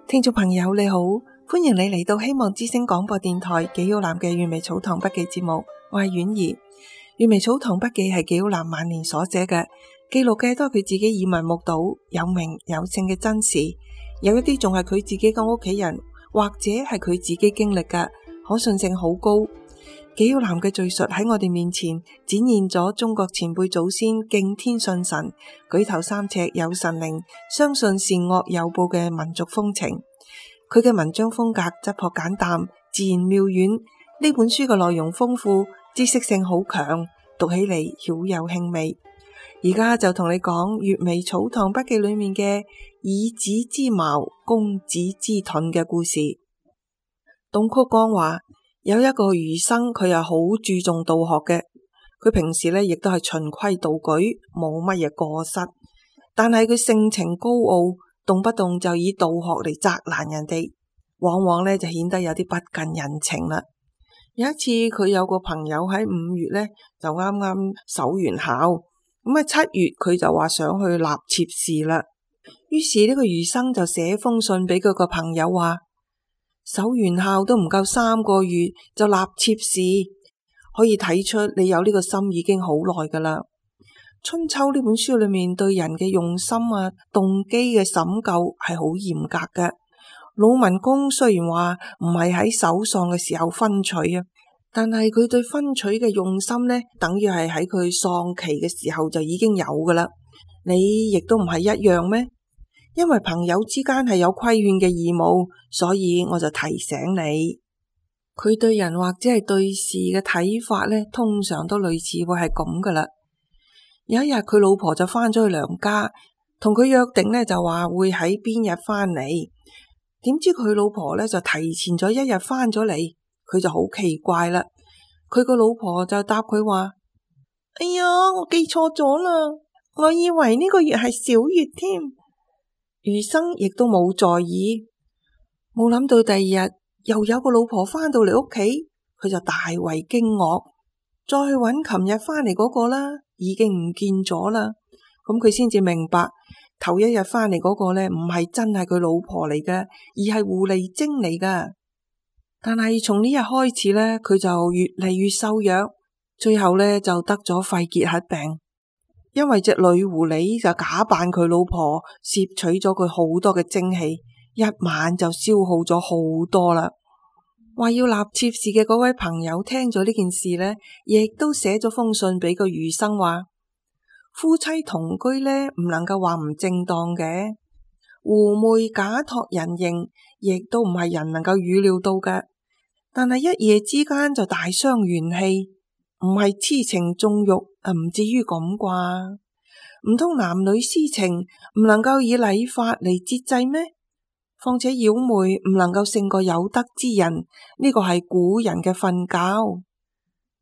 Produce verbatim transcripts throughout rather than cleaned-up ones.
聽眾朋友你好，歡迎你嚟到希望之聲廣播電台紀曉嵐嘅閱微草堂筆記節目，我係婉兒。閱微草堂筆記係紀曉嵐晚年所寫嘅，記錄嘅都係佢自己耳聞目睹有名有姓嘅真事，有一啲仲係佢自己嘅屋企人或者係佢自己經歷嘅，可信性好高。紀曉嵐嘅敘述喺我哋面前展現咗中國前輩祖先敬天信神、舉頭三尺有神靈、相信善惡有報嘅民族風情。佢嘅文章風格質樸簡淡、自然妙遠。呢本書嘅內容豐富，知識性好強，讀起嚟曉有興味。而家就同你講閱微草堂筆記裏面嘅以子之矛攻子之盾嘅故事。董曲江話有一個儒生，佢又好注重道學嘅，佢平時呢亦都係循規蹈矩，冇乜嘢過失，但係佢性情高傲，動不動就以道學嚟責難人哋，往往呢就顯得有啲不近人情啦。有一次佢有個朋友喺五月呢就啱啱守完考，咁啊七月佢就話想去納妾試啦，於是呢個儒生就寫封信俾佢個朋友話，守完校都唔夠三個月就納妾試，可以睇出你有呢個心已經好耐噶啦。春秋呢本書裏面對人嘅用心啊、動機嘅審究係好嚴格嘅。魯文公雖然話唔係喺守喪嘅時候婚娶啊，但係佢對婚娶嘅用心呢，等於係喺佢喪期嘅時候就已經有噶啦。你亦都唔係一樣咩？因為朋友之間係有規勸嘅義務，所以我就提醒你。佢對人或者係對事嘅睇法呢，通常都類似會係咁噶啦。有一日佢老婆就翻咗去娘家，同佢約定呢，就話會喺邊日翻嚟。點知佢老婆呢，就提前咗一日翻咗嚟，佢就好奇怪啦。佢個老婆就答佢話：哎呀，我記錯咗啦，我以為呢個月係小月添。儒生亦都冇在意，冇諗到第二日又有個老婆翻到嚟屋企，佢就大為驚愕，再去揾琴日翻嚟嗰個啦，已經唔見咗啦。咁佢先至明白，頭一日翻嚟嗰個呢，唔係真係佢老婆嚟嘅，而係狐狸精嚟噶。但係從呢日開始呢，佢就越嚟越瘦弱，最後呢，就得咗肺結核病。因為隻女狐狸就假扮佢老婆，攝取咗佢好多嘅精氣，一晚就消耗咗好多啦。話要納妾試嘅嗰位朋友聽咗呢件事呢，亦都寫咗封信俾個儒生話：夫妻同居呢，唔能夠話唔正當嘅，狐媚假託人形，亦都唔係人能夠預料到嘅。但係一夜之間就大傷元氣，唔係痴情縱欲啊，唔至於咁啩？唔通男女私情唔能夠以禮法嚟節制咩？況且妖媚唔能夠勝過有德之人，呢個係古人嘅訓教。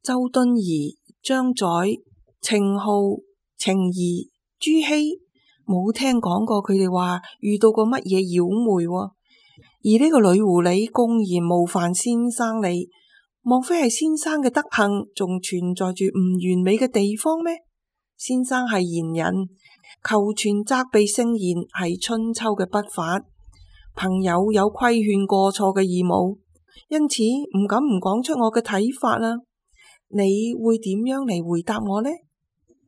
周敦頤、張載、程顥、程頤、朱熹冇聽講過佢哋話遇到過乜嘢妖媚喎？而呢個女狐狸公然冒犯先生你，莫非係先生嘅德行仲存在住唔完美嘅地方咩？先生係賢人，求全責備聖賢係春秋嘅筆法，朋友有規勸過錯嘅義務，因此唔敢唔講出我嘅睇法啦。你會點樣嚟回答我呢？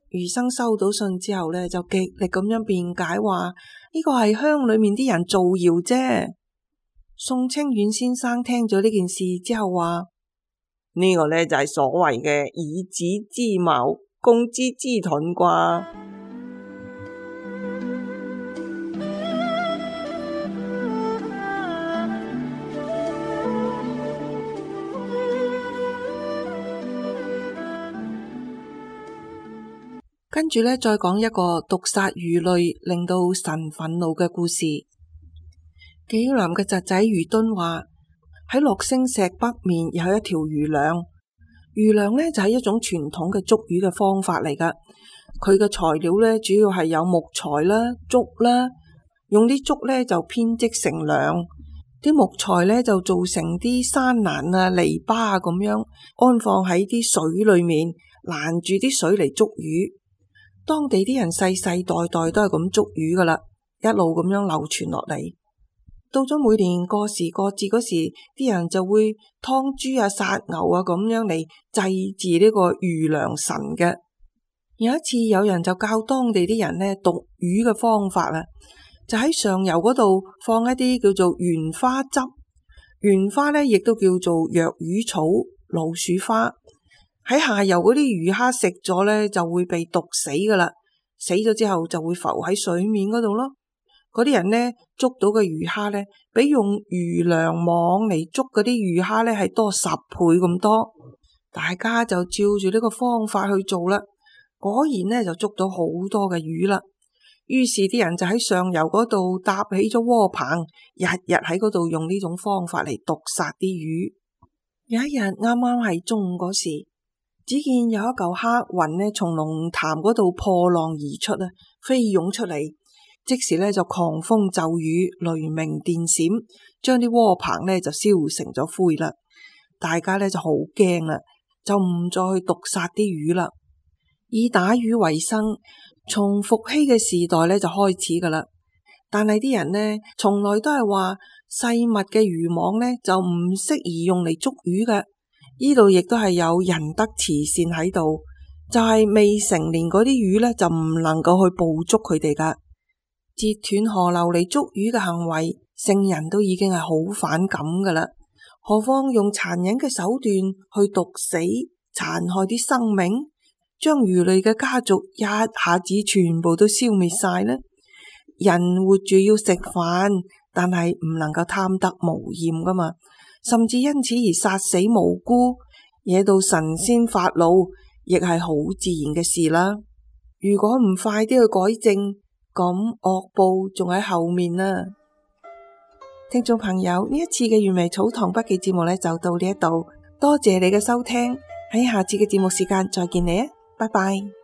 儒生收到信之後呢，就極力咁樣辯解話呢個係鄉裏面啲人造謠啫。宋清遠先生聽咗呢件事之後話：呢個呢，就係所謂嘅以子之矛攻子之盾啩。跟住呢，再講一個毒殺魚類令到神憤怒嘅故事。紀曉嵐嘅侄仔余敦話喺樂星石北面有一條魚梁，魚梁呢就係一種傳統嘅捉魚嘅方法嚟噶。佢嘅材料呢主要係有木材啦、竹啦，用啲竹呢就編織成梁，啲木材呢就做成啲山欄啊、籬笆啊咁樣安放喺啲水裏面，攔住啲水嚟捉魚。當地啲人世世代代都係咁捉魚噶啦，一路咁樣流傳落嚟。到咗每年過時過節嗰時，啲人就會劏豬啊、殺牛啊咁樣嚟祭祀呢個魚糧神嘅。有一次有人就教當地啲人呢毒魚嘅方法啊，就喺上游嗰度放一啲叫做原花汁，原花呢亦都叫做藥魚草、老鼠花。喺下游嗰啲魚蝦食咗呢就會被毒死噶啦，死咗之後就會浮喺水面嗰度咯。嗰啲人呢捉到嘅魚蝦呢，比用魚糧網嚟捉嗰啲魚蝦呢係多十倍咁多。大家就照住呢個方法去做啦，果然呢就捉到好多嘅魚啦。於是啲人就喺上游嗰度搭起咗窩棚，日日喺嗰度用呢種方法嚟毒殺啲魚。有一日啱啱係中午嗰時，只見有一嚿黑雲呢從龍潭嗰度破浪而出啊，飛湧出嚟，即時呢就狂風驟雨、雷鳴電閃，將啲窩棚呢就燒成咗灰啦。大家呢就好驚啦，就唔再去毒殺啲魚啦，以打魚為生。從伏羲嘅時代呢就開始噶啦，但係啲人呢從來都係話細密嘅漁網呢就唔適宜用嚟捉魚嘅。呢度亦都係有仁德慈善喺度，就係、是、未成年嗰啲魚呢，就唔能夠去捕捉佢哋噶。截斷河流嚟捉魚嘅行為，聖人都已經係好反感噶啦，何況用殘忍嘅手段去毒死、殘害啲生命，將魚類嘅家族一下子全部都消滅晒呢？人活住要食飯，但係唔能夠貪得無厭噶嘛。甚至因此而殺死無辜，惹到神仙發怒，亦係好自然嘅事啦。如果唔快啲去改正，咁惡報仲喺後面啊！聽眾朋友，呢一次嘅原味草堂筆記節目呢，就到呢一度，多謝你嘅收聽，喺下次嘅節目時間再見你啊，拜拜。